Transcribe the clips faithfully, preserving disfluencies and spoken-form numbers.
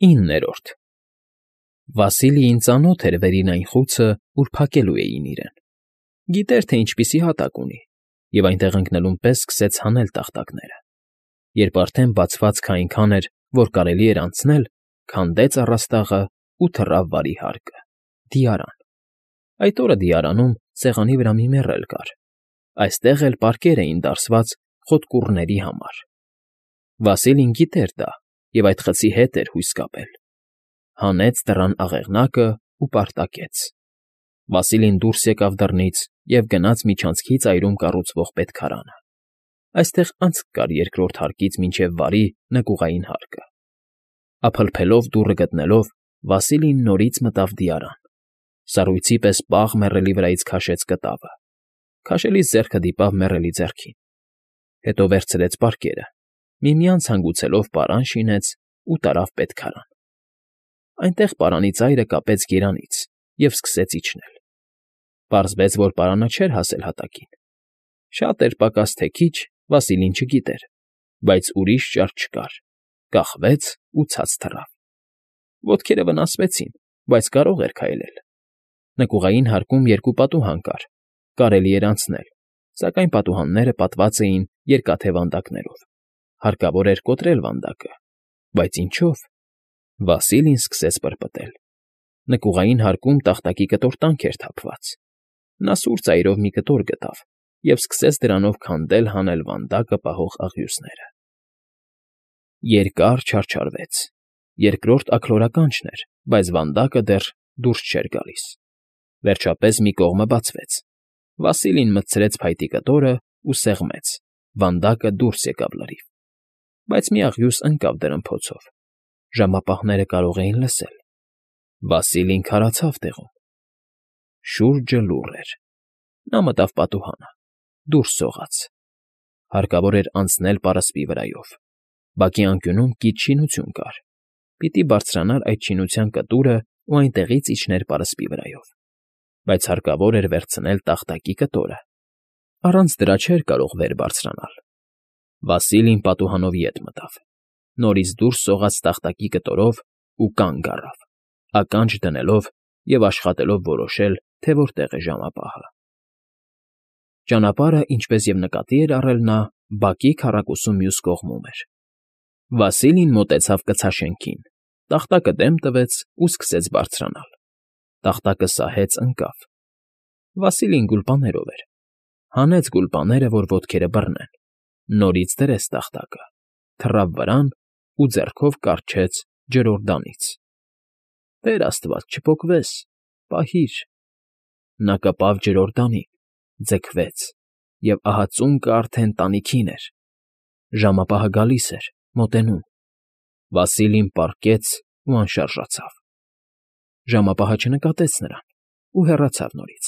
ԻՆՆԵՐՈՐԴ Վասիլիին ծանոթ էր վերին այն խուցը, ուր փակելու էին իրեն, գիտեր, թե ինչպիսի հատակ ունի, և այնտեղ ընկնելուն պես սկսեց հանել տախտակները. երբ արդեն բացվածքը այնքան էր, որ կարելի էր անցնել, քանդեց առաստաղն ու թռավ վարի հարկը՝ դիարան. այդ օրը դիարանում սեղանի վրա մի մեռել կար, այստեղ էլ պարկեր էին դարսված խոտկուռների համար. Վասիլին գիտեր դա և այդ խցի հետ էր հույս կապել. հանեց դռան աղեղնակն ու պարտակեց. Վասիլին դուրս եկավ դռնից և գնաց միջանցքի ծայրում կառուցվող պետքարանը. այստեղ անցք կար երկրորդ հարկից մինչև վարի նկուղային հարկը. ափլփելով դուռը գտնելով, Վասիլին նորից մտավ դիարան, սառույցի պես պաղ մեռելի վրայից քաշեց կտավը, քաշելիս ձեռքը դիպավ մեռելի ձեռքին, հետո վերցրեց պարկերը, միմյանց հանգուցելով պարան շինեց ու տարավ պետքարան. այնտեղ պարանի ծայրը կապեց գերանից և սկսեց իջնել. Պարզվեց, որ պարանը չէր հասել հատակին. շատ էր պակաս թե քիչ, Վասիլին չգիտեր, բայց ուրիշ ճար չկար, կախվեց ու ցած թռավ. ոտքերը վնասվեցին, բայց կարող էր քայլել. նկուղային հարկում երկու պատուհան կար, կարելի էր անցնել, սակայն պատուհանները պատված էին երկաթե վանդակներով, հարկավոր էր կոտրել վանդակը, բայց ինչո՞վ. Վասիլին սկսեց պրպտել. նկուղային հարկում տախտակի կտորտանք էր թափված. նա սուր ծայրով մի կտոր գտավ և սկսեց դրանով քանդել֊հանել վանդակը պահող աղյուսները. Երկար չարչարվեց. երկրորդ աքլորականջն էր, բայց վանդակը դեռ դուրս չէր գալիս. Վերջապես մի կողմը բացվեց. Վասիլին մտցրեց փայտի կտորն ու սեղմեց. վանդակը դուրս եկավ լրիվ. Բայց մի աղյուս ընկավ դրնփոցով. ժամապահները կարող էին լսել. Վասիլին քարացավ տեղում. շուրջը լուռ էր. նա մտավ պատուհանը, դուրս սողաց. հարկավոր էր անցնել պարսպի վրայով. բակի անկյունում կից շինություն կար. պիտի բարձրանար այդ շինության կտուրն ու այնտեղից իջներ պարսպի վրայով. բայց հարկավոր էր վերցնել տախտակի կտորը. առանց դրա չէր կարող վեր բարձրանալ. Վասիլին պատուհանով ետ մտավ, նորից դուրս սողաց տախտակի կտորով ու կանգ առավ, ականջ դնելով և աշխատելով որոշել, թե որտեղ է ժամապահը. Ճանապարհը, ինչպես և նկատի էր առել նա, բակի քառակուսու մյուս կողմում էր. Վասիլին մոտեցավ կցաշենքին, տախտակը դեմ տվեց ու սկսեց բարձրանալ. տախտակը սահեց ընկավ. Վասիլին գուլպաներով էր. հանեց գուլպաները, որ ոտքերը բռնեն, նորից դրեց տախտակը, թռավ վրան ու ձեռքով կառչեց ջրօրդանից. «Տեր աստված, չպոկվես, պահիր»։ Նա կպավ ջրօրդանին, ձգվեց, և ահա ծունկը արդեն տանիքին էր. ժամապահը գալիս էր, մոտենում. Վասիլին պառկեց ու անշարժացավ. ժամապահը չնկատեց նրան ու հեռացավ նորից.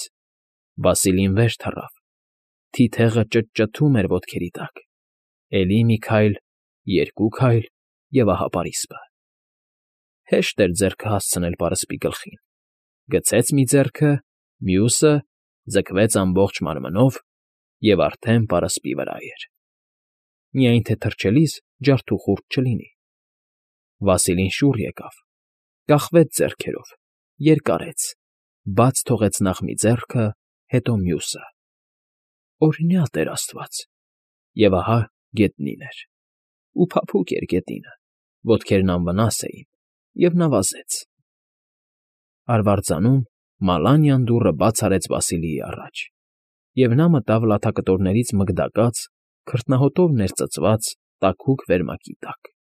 Վասիլին վեր թռավ. թիթեղը ճտճթում էր ոտքերի տակ. էլի մի քայլ, երկու քայլ և ահա պարիսպը. հեշտ էր ձեռքը հասցնել պարսպի գլխին. գցեց մի ձեռքը, մյուսը, ձգվեց ամբողջ մարմնով և արդեն պարսպի վրա էր. միայն թե թռչելիս ջարդուխուրդ չլինի. Վասիլին շուռ եկավ, կախվեց ձեռքերով, երկարեց, բաց թողեց նախ մի ձեռքը, հետո մյուսը. օրհնյա Տեր աստված, և ահա գետնին էր, ու փափուկ էր գետինը, ոտքերն անվնաս էին, և նա վազեց. Արվարձանում Մալանյան դուռը բաց արեց Վասիլիի առաջ, և նա մտավ լաթակտորներից մգդակած, քրտնահոտով ներծծված տաքուկ վերմակի տակ։